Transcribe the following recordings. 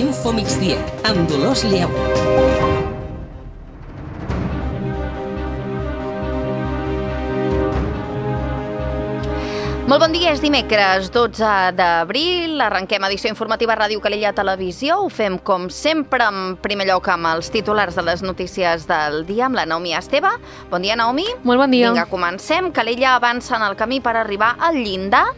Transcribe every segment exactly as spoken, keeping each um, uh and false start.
Infomigdia, amb Dolors Lleu. Molt bon dia, és dimecres dotze d'abril, arrenquem edició informativa Ràdio Calella Televisió, ho fem com sempre en primer lloc amb els titulars de les notícies del dia amb la Naomi Esteve. Bon dia, Naomi. Molt bon dia. Vinga, comencem. Calella avança en el camí per arribar al llindar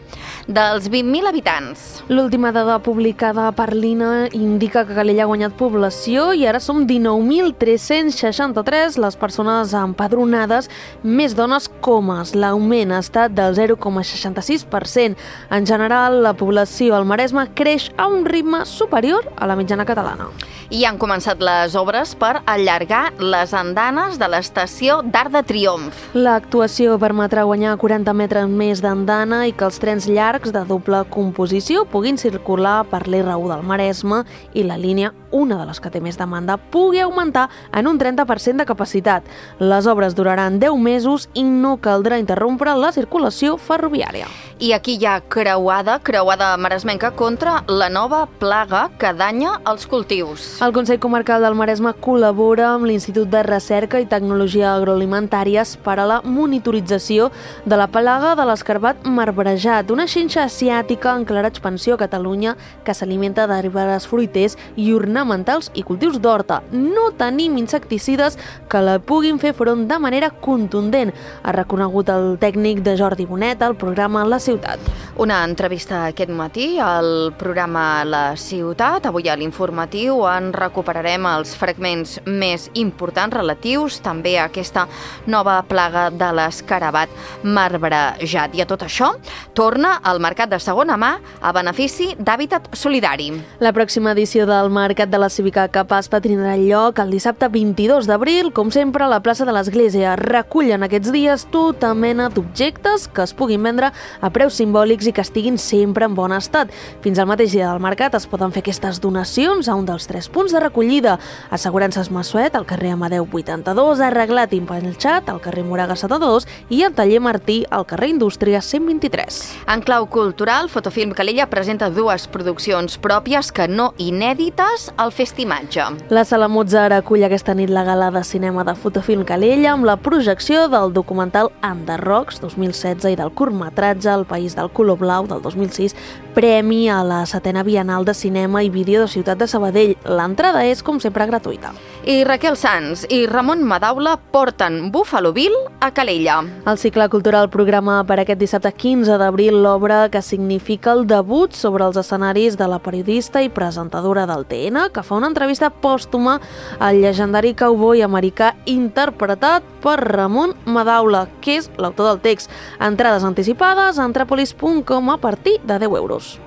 dels vint mil habitants. L'última dada publicada per l'I N E indica que Calella ha guanyat població i ara som dinou mil tres-cents seixanta-tres les persones empadronades, més dones que homes. L'augment ha estat del zero coma seixanta-sis per cent. En general, la població al Maresme creix a un ritme superior a la mitjana catalana. I han començat les obres per allargar les andanes de l'estació d'Arc de Triomf. L'actuació permetrà guanyar quaranta metres més d'andana i que els trens llargs de doble composició puguin circular per l'R u del Maresme i la línia, una de les que té més demanda, pugui augmentar en un trenta per cent de capacitat. Les obres duraran deu mesos i no caldrà interrompre la circulació ferroviària. I aquí hi ha creuada, creuada maresmenca contra la nova plaga que danya els cultius. El Consell Comarcal del Maresme col·labora amb l'Institut de Recerca i Tecnologia Agroalimentàries per a la monitorització de la plaga de l'escarbat marbrejat, una xinxa asiàtica en clara expansió a Catalunya que s'alimenta d'arbres fruiters i ornamentals i cultius d'horta. No tenim insecticides que la puguin fer front de manera contundent, ha reconegut el tècnic de Jordi Bonet al programa La Ciutat. Una entrevista aquest matí al programa La Ciutat. Avui a l'informatiu en recuperarem els fragments més importants relatius també a aquesta nova plaga de l'escarabat marbrejat. I a tot això torna al mercat de segona mà a benefici d'Hàbitat Solidari. La pròxima edició del Mercat de la Cívica Capaspa tindrà lloc el dissabte vint-i-dos d'abril, com sempre a la plaça de l'Església. Recullen aquests dies tota mena d'objectes que es puguin vendre a preus simbòlics i que estiguin sempre en bon estat. Fins al mateix dia del mercat es poden fer aquestes donacions a un dels tres punts de recollida: Assegurances Massuet, al carrer Amadeu vuitanta-dos, Arreglat i Empelxat, al carrer Moraga setanta-dos i el Taller Martí, al carrer Indústria cent vint-i-tres. En clau cultural, Fotofilm Calella presenta dues produccions pròpies que no inèdites al Festimatge. La Sala Mozart acull aquesta nit la gala de cinema de Fotofilm Calella amb la projecció del documental Enderrocs dos mil setze i del curtmetratge El País del Color Blau del dos mil sis, premi a la setena Bienal de Cinema i Vídeo de Ciutat de Sabadell. L'entrada és, com sempre, gratuïta. I Raquel Sanz i Ramon Madaula porten Buffalo Bill a Calella. El cicle cultural programa per aquest dissabte quinze d'abril l'obra que significa el debut sobre els escenaris de la periodista i presentadora del T N, que fa una entrevista pòstuma al llegendari cowboy americà interpretat per Ramon Madaula, que és l'autor del text. Entrades anticipades a antràpolis punt com a partir de deu euros.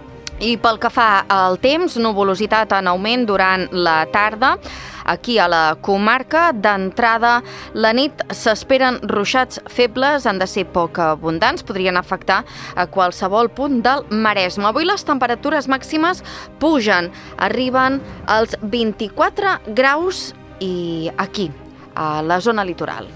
I pel que fa al temps, nuvolositat en augment durant la tarda. Aquí a la comarca, d'entrada, la nit s'esperen ruixats febles, han de ser poc abundants, podrien afectar a qualsevol punt del Maresme. Avui les temperatures màximes pugen, arriben als vint-i-quatre graus i aquí, a la zona litoral.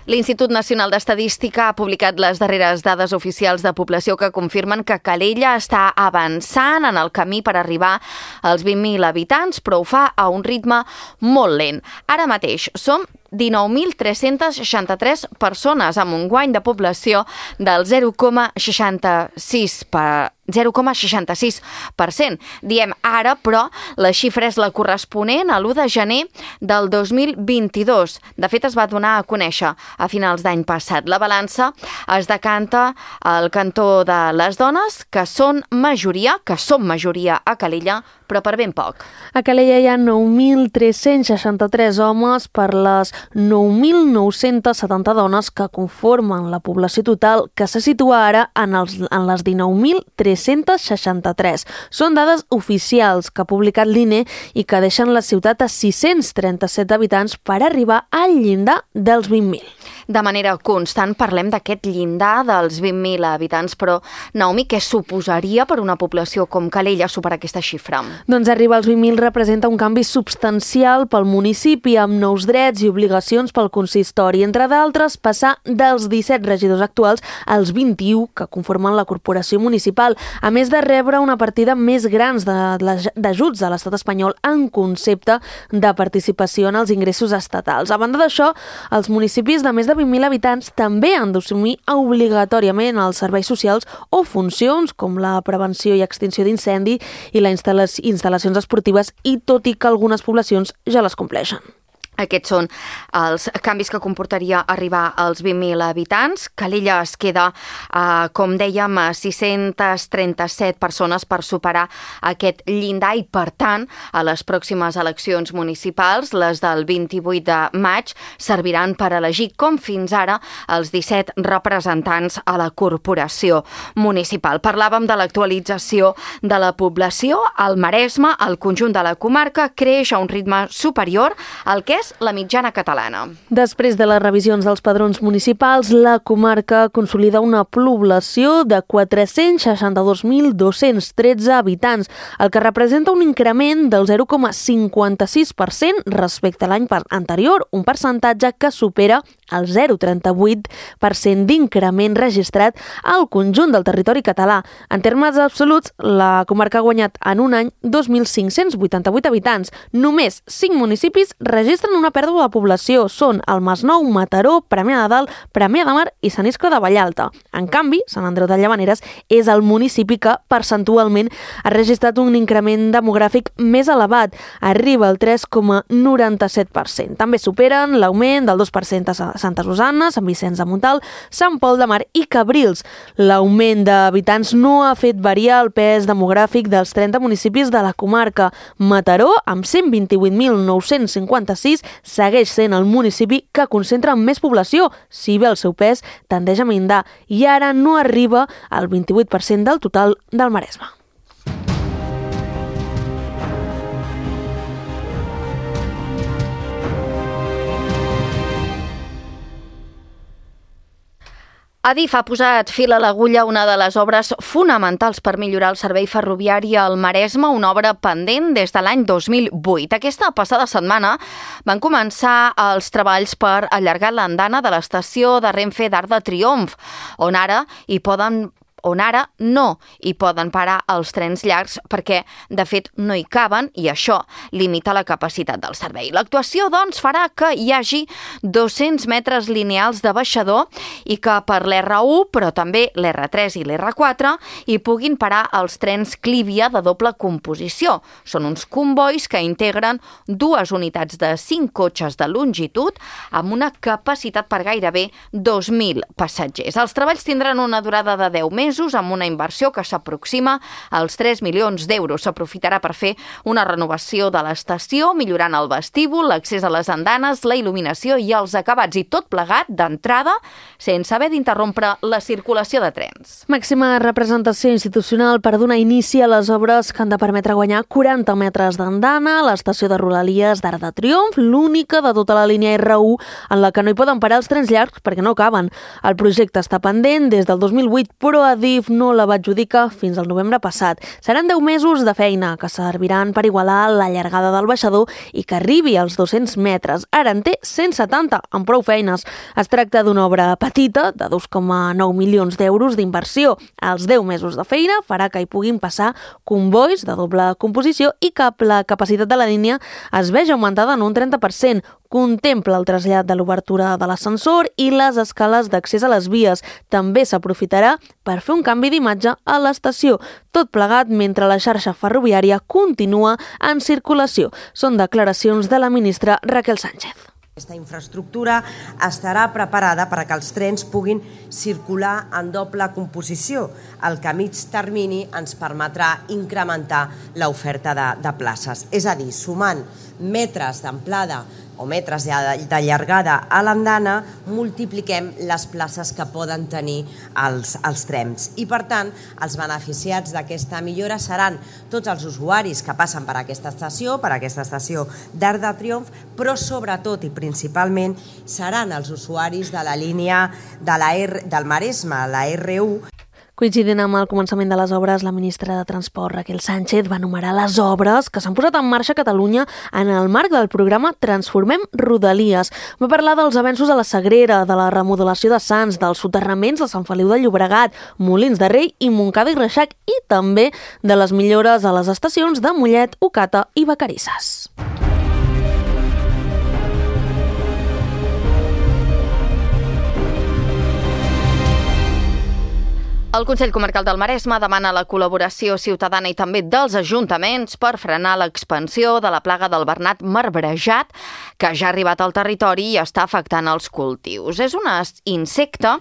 L'Institut Nacional d'Estadística ha publicat les darreres dades oficials de població que confirmen que Calella està avançant en el camí per arribar als vint mil habitants, però ho fa a un ritme molt lent. Ara mateix som dinou mil tres-cents seixanta-tres persones amb un guany de població del zero coma seixanta-sis per zero coma seixanta-sis per cent. Diem ara, però la xifra és la corresponent a l'u de gener del dos mil vint-i-dos. De fet, es va donar a conèixer a finals d'any passat. La balança es decanta al cantó de les dones, que són majoria, que som majoria a Calella, però per ben poc. A Calella hi ha nou mil tres-cents seixanta-tres homes per les nou mil nou-cents setanta dones que conformen la població total, que se situa ara en, els, en les dinou mil tres-cents seixanta-tres. Són dades oficials que ha publicat l'I N E i que deixen la ciutat a sis-cents trenta-set habitants per arribar al llindar dels vint mil. de manera constant parlem d'aquest llindar dels vint mil habitants, però, Naomi, què suposaria per una població com Calella superar aquesta xifra? Doncs arribar als vint mil representa un canvi substancial pel municipi, amb nous drets i obligacions pel consistori. Entre d'altres, passar dels disset regidors actuals als vint-i-u que conformen la corporació municipal, a més de rebre una partida més grans d'ajuts de l'estat espanyol en concepte de participació en els ingressos estatals. A banda d'això, els municipis de més de vint mil habitants també han d'assumir obligatòriament els serveis socials o funcions com la prevenció i extinció d'incendi i les instal·lacions esportives, i tot i que algunes poblacions ja les compleixen. Aquests són els canvis que comportaria arribar als vint mil habitants. Calella es queda, eh, com dèiem, a sis-centes trenta-set persones per superar aquest llindar i, per tant, a les pròximes eleccions municipals, les del vint-i-vuit de maig, serviran per elegir, com fins ara, els disset representants a la corporació municipal. Parlàvem de l'actualització de la població. Al Maresme, el conjunt de la comarca creix a un ritme superior al que és la mitjana catalana. Després de les revisions dels padrons municipals, la comarca consolida una població de quatre-cents seixanta-dos mil dos-cents tretze habitants, el que representa un increment del zero coma cinquanta-sis per cent respecte a l'any anterior, un percentatge que supera el zero coma trenta-vuit per cent d'increment registrat al conjunt del territori català. En termes absoluts, la comarca ha guanyat en un any dos mil cinc-cents vuitanta-vuit habitants. Només cinc municipis registren una pèrdua de població. Són el Masnou, Mataró, Premià de Dalt, Premià de Mar i Sant Iscle de Vallalta. En canvi, Sant Andreu de Llavaneres és el municipi que percentualment ha registrat un increment demogràfic més elevat. Arriba al tres coma noranta-set per cent. També superen l'augment del dos per cent a Santa Susanna, Sant Vicenç de Montalt, Sant Pol de Mar i Cabrils. L'augment d'habitants no ha fet variar el pes demogràfic dels trenta municipis de la comarca. Mataró, amb cent vint-i-vuit mil nou-cents cinquanta-sis, segueix sent el municipi que concentra més població, si bé el seu pes tendeix a mindar, i ara no arriba al vint-i-vuit per cent del total del Maresme. Adif ha posat fil a l'agulla una de les obres fonamentals per millorar el servei ferroviari al Maresme, una obra pendent des de l'any dos mil vuit. Aquesta passada setmana van començar els treballs per allargar l'andana de l'estació de Renfe d'Arc de Triomf, on ara hi poden on ara no hi poden parar els trens llargs perquè, de fet, no hi caben i això limita la capacitat del servei. L'actuació, doncs, farà que hi hagi dos-cents metres lineals de baixador i que per l'erre u, però també l'erre tres i l'erre quatre, hi puguin parar els trens Clívia de doble composició. Són uns combois que integren dues unitats de cinc cotxes de longitud amb una capacitat per gairebé dos mil passatgers. Els treballs tindran una durada de deu mesos amb una inversió que s'aproxima als tres milions d'euros. S'aprofitarà per fer una renovació de l'estació, millorant el vestíbul, l'accés a les andanes, la il·luminació i els acabats, i tot plegat d'entrada sense haver d'interrompre la circulació de trens. Màxima representació institucional per donar inici a les obres que han de permetre guanyar quaranta metres d'andana a l'estació de Rodalies d'Arc de Triomf, l'única de tota la línia erre u en la que no hi poden parar els trens llargs perquè no caben. El projecte està pendent des del dos mil vuit, però Adif no la va adjudicar fins al novembre passat. Seran deu mesos de feina que serviran per igualar la llargada del baixador i que arribi als dos-cents metres. Ara en té cent setanta, amb prou feines. Es tracta d'una obra petita, de dos coma nou milions d'euros d'inversió. Els deu mesos de feina farà que hi puguin passar combois de doble composició i que la capacitat de la línia es vegi augmentada en un trenta per cent. Contempla el trasllat de l'obertura de l'ascensor i les escales d'accés a les vies. També s'aprofitarà per fer un canvi d'imatge a l'estació. Tot plegat mentre la xarxa ferroviària continua en circulació. Són declaracions de la ministra Raquel Sánchez. Aquesta infraestructura estarà preparada perquè els trens puguin circular en doble composició, el que a mig termini ens permetrà incrementar l'oferta de, de places. És a dir, sumant metres d'amplada o metres de llargada a l'andana, multipliquem les places que poden tenir els, els trens. I, per tant, els beneficiats d'aquesta millora seran tots els usuaris que passen per aquesta estació, per aquesta estació d'Arc de Triomf, però sobretot i principalment seran els usuaris de la línia de la R, del Maresme, la R u. Coincidint amb el començament de les obres, la ministra de Transport, Raquel Sánchez, va enumerar les obres que s'han posat en marxa a Catalunya en el marc del programa Transformem Rodalies. Va parlar dels avenços a la Sagrera, de la remodelació de Sants, dels soterraments de Sant Feliu de Llobregat, Molins de Rei i Montcada i Reixac, i també de les millores a les estacions de Mollet, Ocata i Vacarisses. El Consell Comarcal del Maresme demana la col·laboració ciutadana i també dels ajuntaments per frenar l'expansió de la plaga del bernat marbrejat, que ja ha arribat al territori i està afectant els cultius. És un insecte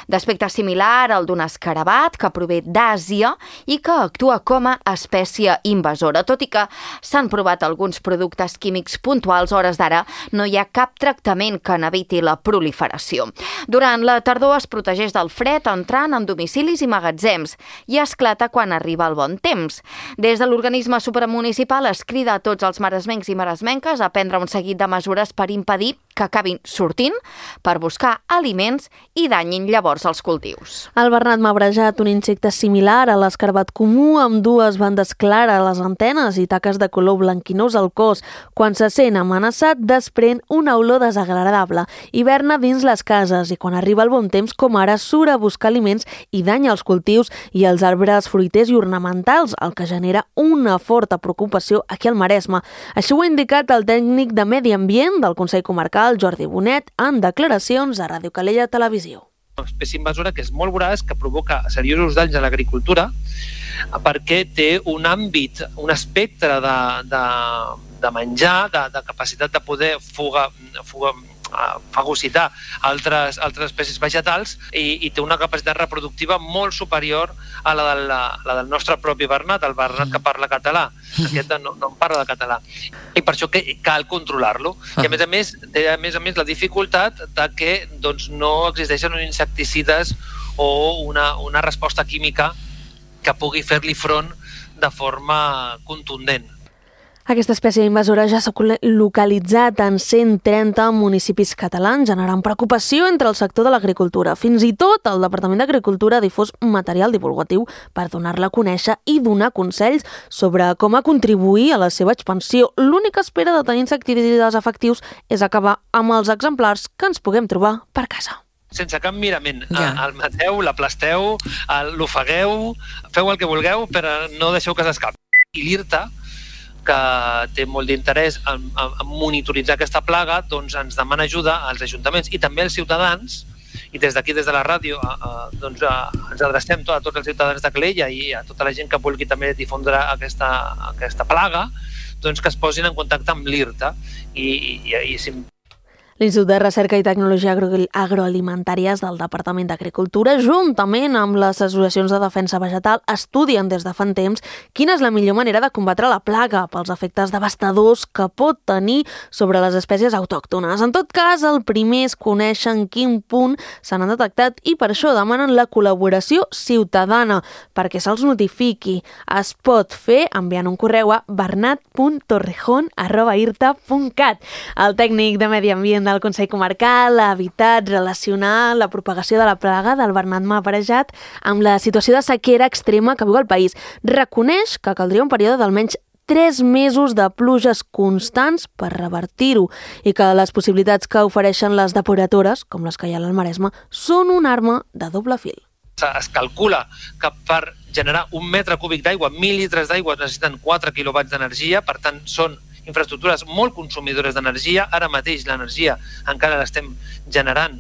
d'aspecte similar al d'un escarabat que prové d'Àsia i que actua com a espècie invasora. Tot i que s'han provat alguns productes químics puntuals, a hores d'ara no hi ha cap tractament que n'eviti la proliferació. Durant la tardor es protegeix del fred entrant en domicilis i magatzems i esclata quan arriba el bon temps. Des de l'organisme supramunicipal es crida a tots els maresmencs i maresmenques a prendre un seguit de mesures per impedir que acabin sortint per buscar aliments i danyin llavors els cultius. El bernat marbrejat, un insecte similar a l'escarabat comú, amb dues bandes clares a les antenes i taques de color blanquinós al cos. Quan se sent amenaçat, desprèn una olor desagradable. Hiverna dins les cases i quan arriba el bon temps, com ara, surt a buscar aliments i danya els cultius i els arbres fruiters i ornamentals, el que genera una forta preocupació aquí al Maresme. Així ho ha indicat el tècnic de Medi Ambient del Consell Comarcal, Jordi Bonet, en declaracions a Ràdio Calella Televisió. Una espècie invasora que és molt voraç, que provoca seriosos danys a l'agricultura perquè té un àmbit, un espectre de, de, de menjar, de, de capacitat de poder fuga, fuga, fagocitar altres, altres espècies vegetals i, i té una capacitat reproductiva molt superior a la, de la, la del nostre propi bernat, el bernat que parla català. Aquest no, no en parla de català. I per això que cal controlar-lo. I a més a més, té a més a més la dificultat de que doncs, no existeixen uns insecticides o una, una resposta química que pugui fer-li front de forma contundent. Aquesta espècie invasora ja s'ha localitzat en cent trenta municipis catalans, generant preocupació entre el sector de l'agricultura. Fins i tot el Departament d'Agricultura ha difós material divulgatiu per donar-la a conèixer i donar consells sobre com a contribuir a la seva expansió. L'única espera de tenir insecticides efectius és acabar amb els exemplars que ens puguem trobar per casa. Sense cap mirament. Ja. El mateu, l'aplasteu, l'ofegueu, feu el que vulgueu, però no deixeu que s'escapi. I l'IRTA, que té molt d'interès en, en monitoritzar aquesta plaga, doncs ens demana ajuda als ajuntaments i també als ciutadans, i des d'aquí, des de la ràdio, a, a, doncs a, ens adrecem a tots els ciutadans de Calella i a tota la gent que vulgui també difondre aquesta, aquesta plaga, doncs que es posin en contacte amb l'IRTA i, i, i si L'Institut de Recerca i Tecnologia Agroalimentàries del Departament d'Agricultura, juntament amb les associacions de defensa vegetal, estudien des de fa temps quina és la millor manera de combatre la plaga pels efectes devastadors que pot tenir sobre les espècies autòctones. En tot cas, el primer és conèixer en quin punt se n'han detectat i per això demanen la col·laboració ciutadana perquè se'ls notifiqui. Es pot fer enviant un correu a bernat punt torrejón arroba irta punt cat. El tècnic de Medi Ambient del Consell Comarcal ha evitat relacionar la propagació de la plaga del bernat marbrejat amb la situació de sequera extrema que viu el país. Reconeix que caldria un període d'almenys tres mesos de pluges constants per revertir-ho i que les possibilitats que ofereixen les depuradores, com les que hi ha al Maresme, són una arma de doble fil. Es calcula que per generar un metre cúbic d'aigua, mil litres d'aigua, necessiten quatre quilowatts d'energia, per tant són infraestructures molt consumidores d'energia. Ara mateix l'energia encara l'estem generant,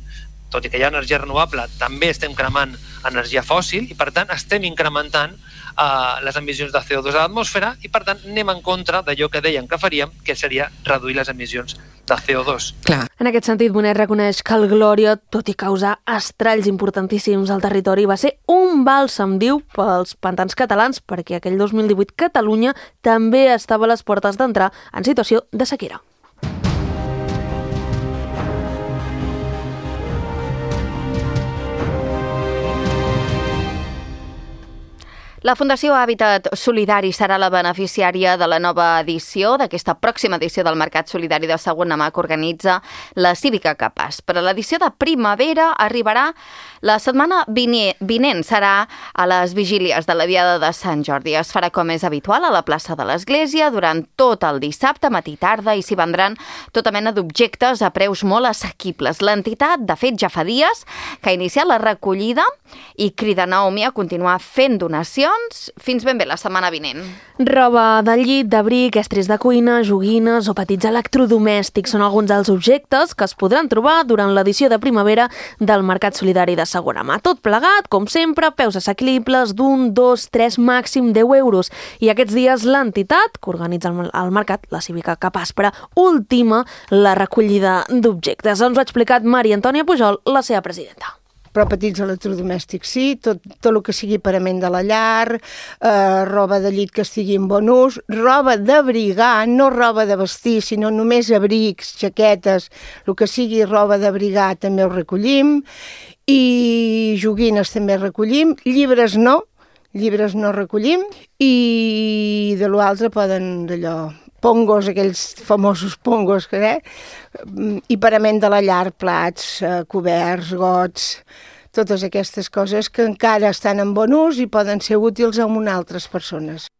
tot i que hi ha energia renovable, també estem cremant energia fòssil i per tant estem incrementant uh, les emissions de C O dos a l'atmosfera i per tant anem en contra d'allò que deien que faríem, que seria reduir les emissions de C O dos. Clar. En aquest sentit, Bonet reconeix que el Glòria, tot i causar estralls importantíssims al territori, va ser un bàlsam, diu, pels pantans catalans, perquè aquell dos mil divuit Catalunya també estava a les portes d'entrar en situació de sequera. La Fundació Hàbitat Solidari serà la beneficiària de la nova edició, d'aquesta pròxima edició del Mercat Solidari de Segona Mà que organitza la Cívica Capaç. Per a l'edició de primavera arribarà la setmana vinent, serà a les vigílies de la Diada de Sant Jordi. Es farà com és habitual a la plaça de l'Església durant tot el dissabte, matí i tarda, i s'hi vendran tota mena d'objectes a preus molt assequibles. L'entitat, de fet, ja fa dies que ha iniciat la recollida i crida Naomi a continuar fent donacions fins ben bé la setmana vinent. Roba de llit, d'abric, estris de cuina, joguines o petits electrodomèstics són alguns dels objectes que es podran trobar durant l'edició de primavera del Mercat Solidari de Segona Mà. Tot plegat, com sempre, preus assequibles d'un, dos, tres, màxim deu euros. I aquests dies l'entitat que organitza el mercat, la Cívica Capaç, per a ultima la recollida d'objectes. Ens ho ha explicat Maria Antònia Pujol, la seva presidenta. Però petits electrodomèstics sí, tot, tot el que sigui parament de la llar, eh, roba de llit que estigui en bon ús, roba d'abrigar, no roba de vestir, sinó només abrics, jaquetes, el que sigui roba d'abrigar també ho recollim, i joguines també recollim, llibres no, llibres no recollim, i de l'altre poden d'allò... pongos, aquells famosos pongos, eh? I parament de la llar, plats, eh, coberts, gots, totes aquestes coses que encara estan en bon ús i poden ser útils a unes altres persones.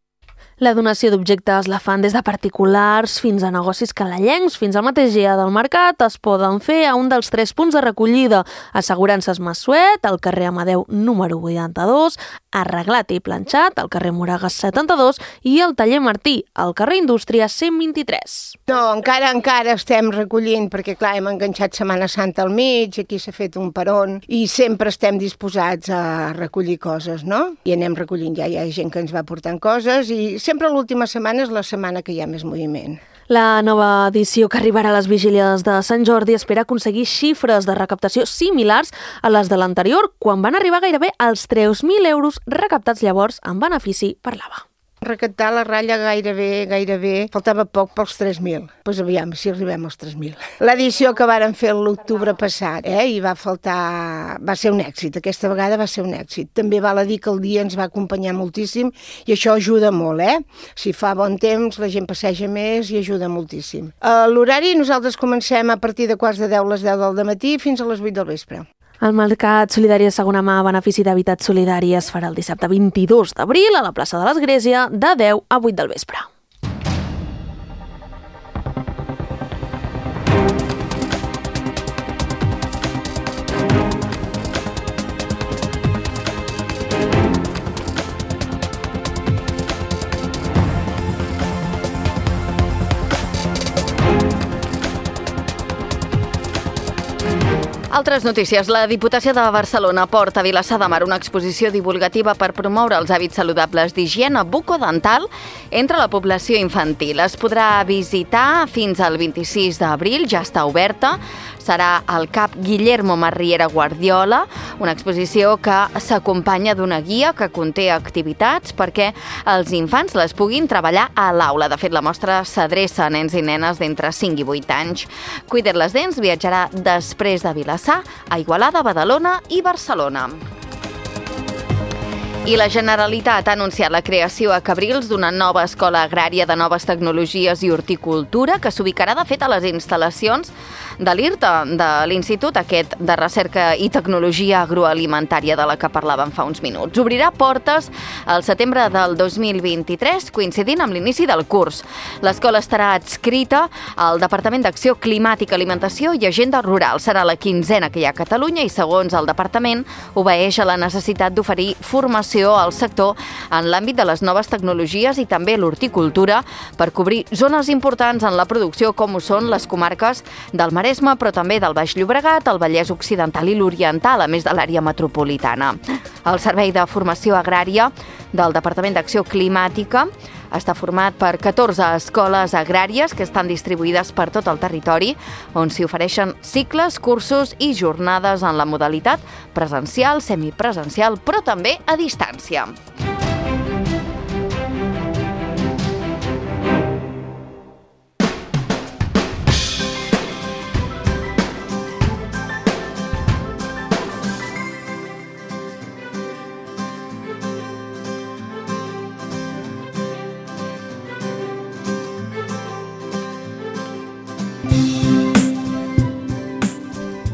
La donació d'objectes la fan des de particulars fins a negocis canallencs, fins al mateix dia del mercat. Es poden fer a un dels tres punts de recollida: Assegurances Massuet, al carrer Amadeu número vuitanta-dos, Arreglat i Planxat, al carrer Moragas setanta-dos, i el taller Martí, al carrer Indústria cent vint-i-tres. No, encara encara estem recollint, perquè clar, hem enganxat Setmana Santa al mig, aquí s'ha fet un peron, i sempre estem disposats a recollir coses, no? I anem recollint, ja hi ha gent que ens va portant coses, i sempre l'última setmana és la setmana que hi ha més moviment. La nova edició que arribarà a les vigílies de Sant Jordi espera aconseguir xifres de recaptació similars a les de l'anterior, quan van arribar gairebé als tres mil euros recaptats llavors en benefici per l'A V A. Recaptar la ratlla gairebé, gairebé, faltava poc pels tres mil. Doncs pues aviam, si arribem als tres mil. L'edició que varen fer l'octubre passat, eh, i va faltar... va ser un èxit, aquesta vegada va ser un èxit. També val a dir que el dia ens va acompanyar moltíssim i això ajuda molt, eh? Si fa bon temps, la gent passeja més i ajuda moltíssim. A l'horari nosaltres comencem a partir de quarts de deu, les deu del matí fins a les vuit del vespre. El Mercat Solidari de Segona Mà a benefici d'Hàbitat Solidari es farà el dissabte vint-i-dos d'abril a la plaça de l'Església de deu a vuit del vespre. Altres notícies. La Diputació de Barcelona porta a Vilassar de Mar una exposició divulgativa per promoure els hàbits saludables d'higiene bucodental entre la població infantil. Es podrà visitar fins al vint-i-sis d'abril, ja està oberta. Serà al Cap Guillermo Marriera Guardiola, una exposició que s'acompanya d'una guia que conté activitats perquè els infants les puguin treballar a l'aula. De fet, la mostra s'adreça a nens i nenes d'entre cinc i vuit anys. Cuida't les dents viatjarà després de Vilassar a Igualada, Badalona i Barcelona. I la Generalitat ha anunciat la creació a Cabrils d'una nova escola agrària de noves tecnologies i horticultura que s'ubicarà, de fet, a les instal·lacions de l'I R T A, de l'Institut aquest de Recerca i Tecnologia Agroalimentària de la que parlàvem fa uns minuts. Obrirà portes al setembre del dos mil vint-i-tres, coincidint amb l'inici del curs. L'escola estarà adscrita al Departament d'Acció Climàtica, Alimentació i Agenda Rural. Serà la quinzena que hi ha a Catalunya i, segons el departament, obeeix a la necessitat d'oferir formació al sector en l'àmbit de les noves tecnologies i també l'horticultura per cobrir zones importants en la producció com ho són les comarques del Maresme, però també del Baix Llobregat, el Vallès Occidental i l'Oriental, a més de l'àrea metropolitana. El Servei de Formació Agrària del Departament d'Acció Climàtica està format per catorze escoles agràries que estan distribuïdes per tot el territori, on s'hi ofereixen cicles, cursos i jornades en la modalitat presencial, semipresencial, però també a distància.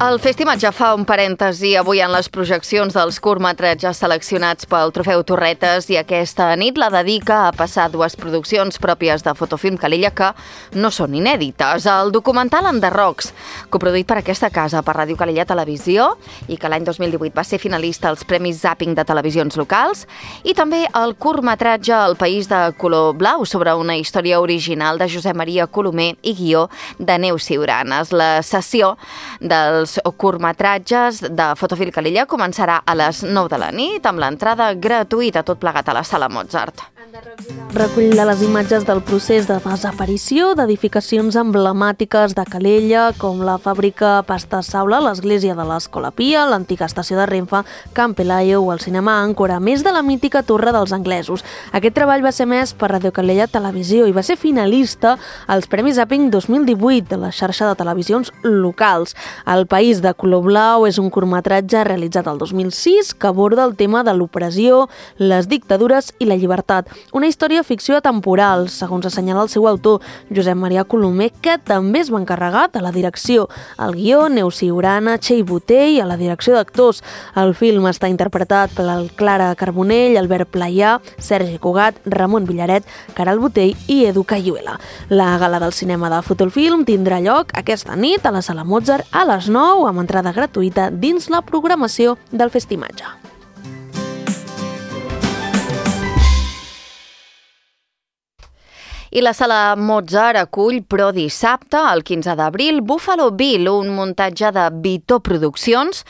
El Festimatge fa un parèntesi avui en les projeccions dels curtmetratges seleccionats pel Trofeu Torretes i aquesta nit la dedica a passar dues produccions pròpies de Fotofilm Calella que no són inèdites. El documental Enderrocs, coproduït per aquesta casa per Ràdio Calella Televisió i que l'any dos mil divuit va ser finalista als Premis Zapping de televisions locals, i també el curtmetratge El País de Color Blau sobre una història original de Josep Maria Colomer i guió de Neus Ciuranes. La sessió dels curtmetratges de Fotofilm Calella començarà a les nou de la nit amb l'entrada gratuïta, tot plegat a la Sala Mozart. Recull de les imatges del procés de desaparició d'edificacions emblemàtiques de Calella, com la fàbrica Pasta Saula, l'església de l'Escola Pia, l'antiga estació de Renfe, Camp Pelayo o el cinema Àncora, més de la mítica Torre dels Anglesos. Aquest treball va ser emès per Ràdio Calella Televisió i va ser finalista als Premis Zapping dos mil divuit de la xarxa de televisions locals. El País de Color Blau és un curtmetratge realitzat el dos mil sis que aborda el tema de l'opressió, les dictadures i la llibertat. Una història ficció atemporal, segons assenyala el seu autor, Josep Maria Colomer, que també es va encarregar de la direcció. El guió, Neus Ciurana, Txell Botell, a la direcció d'actors. El film està interpretat per Clara Carbonell, Albert Playà, Sergi Cugat, Ramon Villaret, Caral Botell i Edu Cayuela. La gala del cinema de Fotofilm tindrà lloc aquesta nit a la Sala Mozart a les nou amb entrada gratuïta dins la programació del Festimatge. I la Sala Mozart acull, però dissabte, el quinze d'abril, Buffalo Bill, un muntatge de Vitó Produccions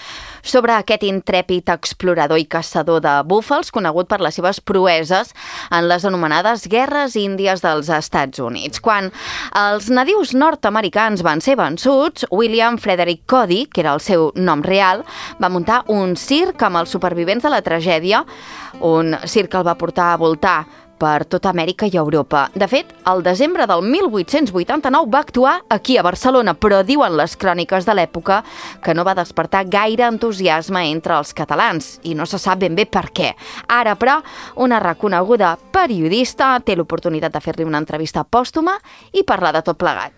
sobre aquest intrèpid explorador i caçador de búfals conegut per les seves proeses en les anomenades Guerres Índies dels Estats Units. Quan els nadius nord-americans van ser vençuts, William Frederick Cody, que era el seu nom real, va muntar un circ amb els supervivents de la tragèdia, un circ que el va portar a voltar per tota Amèrica i Europa. De fet, al desembre del mil vuit-cents vuitanta-nou va actuar aquí a Barcelona, però diuen les cròniques de l'època que no va despertar gaire entusiasme entre els catalans i no se sap ben bé per què. Ara, però, una reconeguda periodista té l'oportunitat de fer-li una entrevista pòstuma i parlar de tot plegat.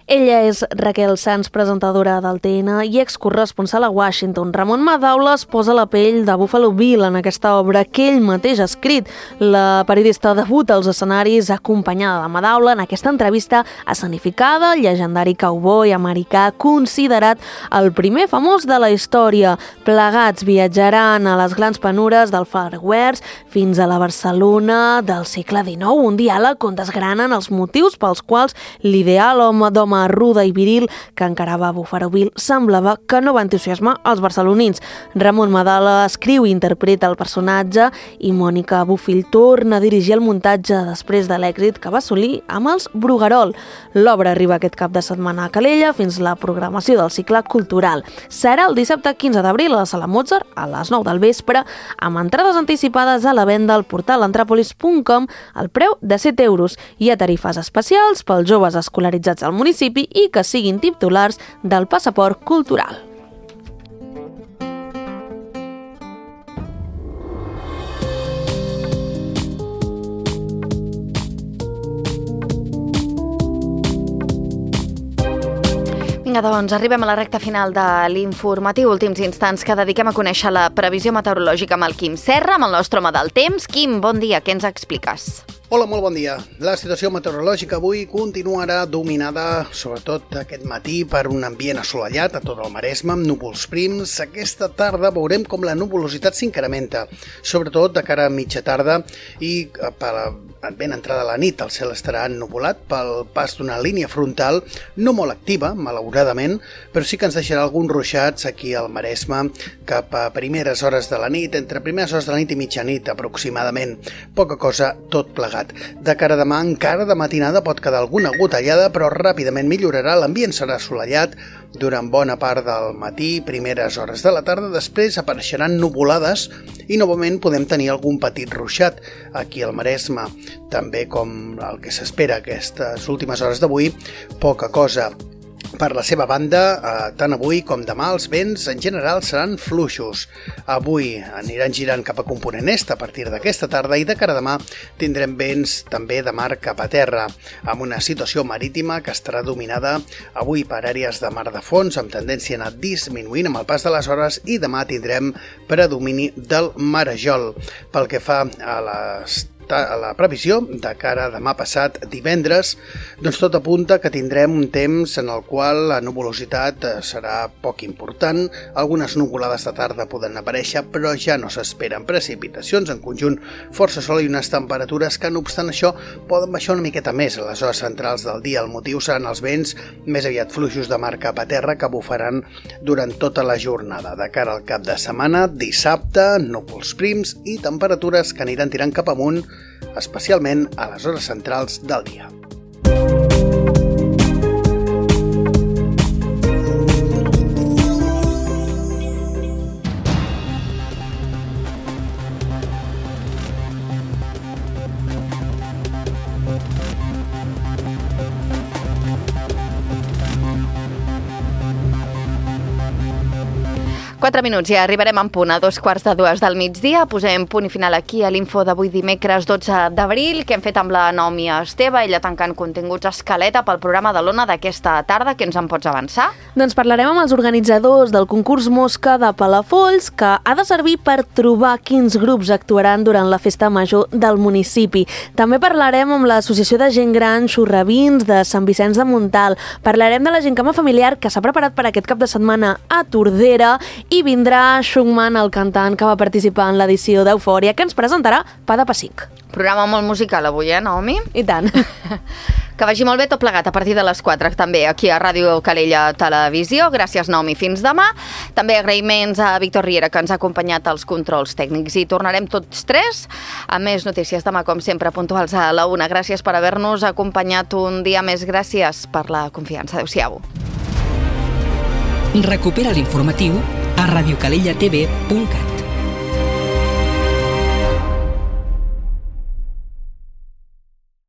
Ella és Raquel Sans, presentadora del T N i excorresponsal a Washington. Ramon Madaula es posa la pell de Buffalo Bill en aquesta obra que ell mateix ha escrit. La periodista debuta als escenaris acompanyada de Madaula en aquesta entrevista escenificada, el llegendari cowboy americà considerat el primer famós de la història. Plegats viatjaran a les grans penures del Far West fins a la Barcelona del segle dinou, un diàleg on desgranen els motius pels quals l'ideal home d'home ruda i viril que encarava Buffalo Bill semblava que no va entusiasmar els barcelonins. Ramon Madaula escriu i interpreta el personatge i Mònica Bufill torna a dirigir el muntatge després de l'èxit que va assolir amb els Bruguerol. L'obra arriba aquest cap de setmana a Calella fins la programació del cicle cultural. Serà el dissabte quinze d'abril a la Sala Mozart a les nou del vespre amb entrades anticipades a la venda al portal antràpolis punt com al preu de set euros. Hi ha tarifes especials pels joves escolaritzats al municipi i que siguin titulars del passaport cultural. Vinga, doncs, arribem a la recta final de l'informatiu, últims instants que dediquem a conèixer la previsió meteorològica amb el Quim Serra, amb el nostre home del temps. Quim, bon dia, què ens expliques? Hola, molt bon dia. La situació meteorològica avui continuarà dominada, sobretot aquest matí, per un ambient assolellat a tot el Maresme, amb núvols prims. Aquesta tarda veurem com la nuvolositat s'incrementa, sobretot de cara a mitja tarda i per ben entrada a la nit. El cel estarà ennuvolat pel pas d'una línia frontal no molt activa, malauradament, però sí que ens deixarà alguns ruixats aquí al Maresme cap a primeres hores de la nit, entre primeres hores de la nit i mitjanit aproximadament. Poca cosa, tot plegat. De cara a demà, encara de matinada pot quedar alguna gotellada, però ràpidament millorarà. L'ambient serà assolellat durant bona part del matí, primeres hores de la tarda. Després apareixeran nuvolades i novament podem tenir algun petit ruixat aquí al Maresme. També, com el que s'espera aquestes últimes hores d'avui, poca cosa. Per la seva banda, eh, tant avui com demà els vents en general seran fluixos. Avui aniran girant cap a component est a partir d'aquesta tarda i de cara a demà tindrem vents també de mar cap a terra, amb una situació marítima que estarà dominada avui per àrees de mar de fons amb tendència a anar disminuint amb el pas de les hores i demà tindrem predomini del marejol. Pel que fa a les a la previsió de cara a demà passat divendres, doncs tot apunta que tindrem un temps en el qual la nuvolositat serà poc important, algunes nuvolades de tarda poden aparèixer, però ja no s'esperen precipitacions, en conjunt força sol i unes temperatures que, no obstant això, poden baixar una miqueta més a les hores centrals del dia. El motiu seran els vents més aviat fluixos de mar cap a terra que bufaran durant tota la jornada. De cara al cap de setmana, dissabte, núvols prims i temperatures que aniran tirant cap amunt, especialment a les hores centrals del dia. Quatre minuts i ja arribarem en punt a dos quarts de dues del migdia. Posem punt i final aquí a l'info d'avui dimecres dotze d'abril, que hem fet amb la Naomi Esteve, ella tancant continguts escaleta pel programa de l'Ona d'aquesta tarda. Què ens en pots avançar? Doncs parlarem amb els organitzadors del concurs Mosca de Palafolls, que ha de servir per trobar quins grups actuaran durant la festa major del municipi. També parlarem amb l'Associació de Gent Gran Xurravins de Sant Vicenç de Montalt. Parlarem de la gincama familiar que s'ha preparat per aquest cap de setmana a Tordera i vindrà Shungman, el cantant que va participar en l'edició d'Eufòria, que ens presentarà Pa de Pessic. Programa molt musical avui, eh, Naomi? I tant. Que vagi molt bé tot plegat a partir de les quatre, també aquí a Ràdio Calella Televisió. Gràcies, Naomi. Fins demà. També agraïments a Víctor Riera, que ens ha acompanyat als controls tècnics. I tornarem tots tres amb més notícies demà, com sempre, puntuals a la una. Gràcies per haver-nos acompanyat un dia més. Gràcies per la confiança. Adéu-siau. Recupera l'informatiu a radiocalellatv punt cat.